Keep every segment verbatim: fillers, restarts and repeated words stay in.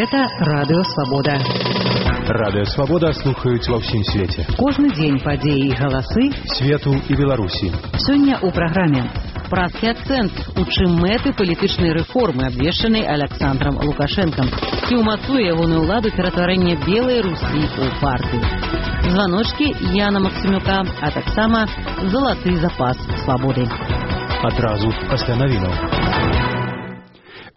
Гэта Радыё Свабода. Радыё Свабода слухаюць ва ўсім свеце. Кожны дзень падзеі і галасы свету і Беларусі. Сёння ў праграме «Празкі акцэнт», у чым мэты палітычнай рэформы, абвешчанай Александром Лукашэнкам, ці ўмацуе ягоную ўладу ператварэнне белай Русі ў партыю. Званочкі Яна Максімюка, а таксама залаты запас свабоды. Адразу пасля навінаў.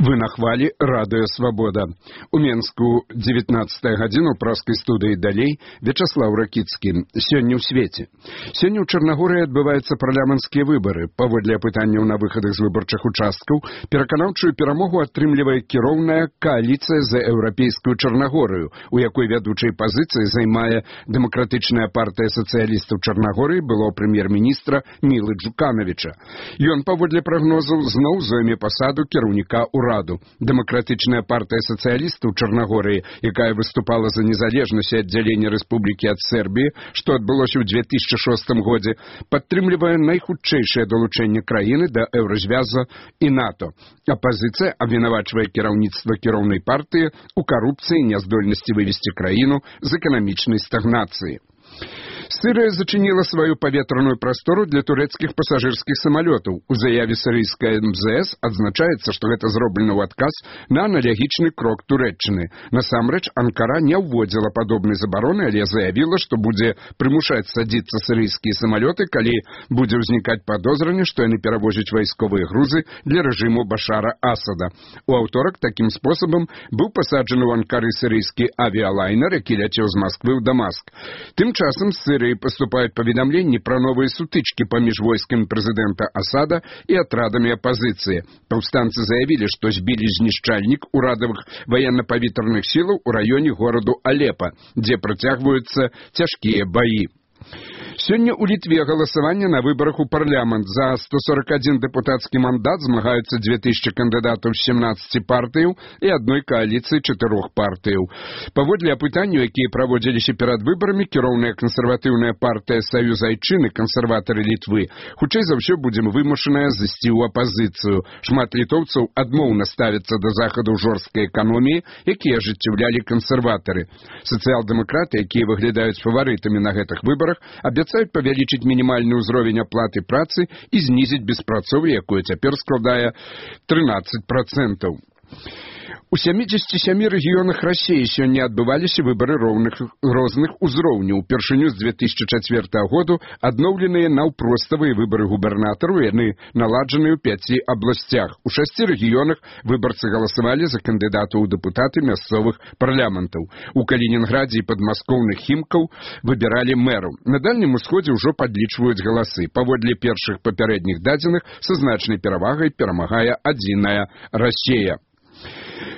Вы на хвалі Радыё Свабода. У Менску дзевятнаццатая гадзіна ў праскай студыі далей Вячаслаў Ракіцкі. Сёння ў свеце. Сёння ў Чарнагорыі адбываюцца парламенцкія выбары. Паводле апытанняў на выхадах з выбарчых участкаў пераканаўчую перамогу атрымлівае кіроўная кааліцыя за еўрапейскую Чарнагорыю, у якой вядучай пазіцыі займае дэмакратычная партыя сацыялістаў Чарнагорыі было прэм'ер-міністра Мілы Джуканавіча. Ён, паводле прагнозаў, зноў зойме пасаду кіраўніка ўраду. Дэмакратычная партыя сацыялістаў Чарнагорыі, якая выступала за незалежнасць і аддзяленне рэспублікі ад Сербіі, што адбылося ў две тысячы шостым годзе, падтрымлівае найхутчэйшае далучэнне краіны да еўразвяза і НАТО. Апазіцыя абвінавачвае кіраўніцтва кіроўнай партыі ў карупцыі і няздольнасці вывесці краіну з эканамічнай стагнацыі. Сырыя зачыніла сваю паветраную прастору для турэцкіх пасажырскіх самалётаў. У заяве сірыйскай эм зэ эс адзначаецца, што гэта зроблена ў адказ на аналагічны крок Турэччыны. Насамрэч, Анкара не ўводзіла падобнай забароны, але заявіла, што будзе прымушаць садзіцца сірыйскія самалёты, калі будзе ўзнікаць падозранне, што яны перавозяць вайсковыя грузы для рэжыму Башара Асада. У аўторак такім спосабам быў пасаджаны ў Анкары сірыйскі авіялайнер, які ляцеў з Масквы ў Дамаск. Тым часам з Сирии поступают поведомления про новые сутычки поміж войсками президента Асада и отрядами оппозиции. Повстанцы заявили, что сбили знішчальник урадовых военно-повітряных сил у районе города Алеппо, где протягиваются тяжкие бои. Сёння ў Літве галасаванне на выбарах у парламент. За сто сорок один дэпутацкі мандат змагаюцца две тысячи кандыдатаў з семнаццаці партыяў і адной кааліцыі чатырох партыяў. Паводле апытанняў, якія праводзіліся перад выбарамі, кіроўная кансерватыўная партыя Саюз Айчыны, кансерватары Літвы, хутчэй за ўсё будзе вымушаная зайсці ў апазіцыю. Шмат літоўцаў адмоўна ставяцца да захадаў жорсткай эканоміі, якія ажыццяўлялі кансерватары. Сацыял-дэмакраты, якія выглядаюць фаварытамі на гэтых выбарах, абяцаюць павялічыць мінімальны ўзровень аплаты працы і знізіць беспрацоўе, якое цяпер складае трынаццаць процентаў. У сямідзесяці сямі рэгіёнах Расіі сёння адбываліся выбары роўных розных узроўняў. Упершыню з две тысячи чацвёртага году адноўленыя наўпроставыя выбары губернатараў, яны наладжаныя ў пяці абласцях. У шасці рэгіёнах выбарцы галасавалі за кандыдатаў у дэпутаты мясцовых парламентаў. У Калінінградзе і падмаскоўных Хімкаў выбіралі мэраў. На Дальнім Усходзе ўжо падлічваюць галасы. Паводле першых папярэдніх дадзеных са значнай перавагай перамагае адзіная Расія.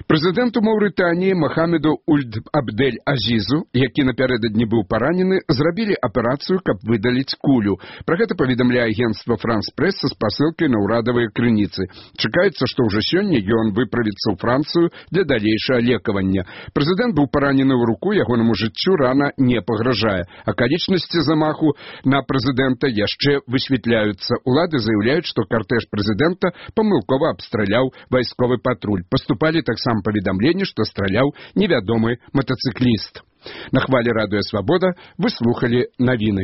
Прэзідэнту Маўрытаніі Махамеду Ульд Абдель-Азізу, які напярэдадні быў паранены, зрабілі аперацыю, каб выдаліць кулю. Пра гэта паведамляе агенцтва Франс-Прэс са спасылкай на ўрадавыя крыніцы. Чакаецца, што ўжо сёння ён выправіцца ў Францыю для далейшага лекавання. Прэзідэнт быў паранены ў руку, ягонаму жыццю рана не пагражае. Акалічнасці замаху на прэзідэнта яшчэ высвятляюцца. Улады заяўляюць, што картэж прэзідэнта памылкова абстраляў вайсковы патруль. Паступалі таксама паведамленне, што страляў невядомы матацыкліст. На хвалі Радыё Свабода вы слухалі навіны.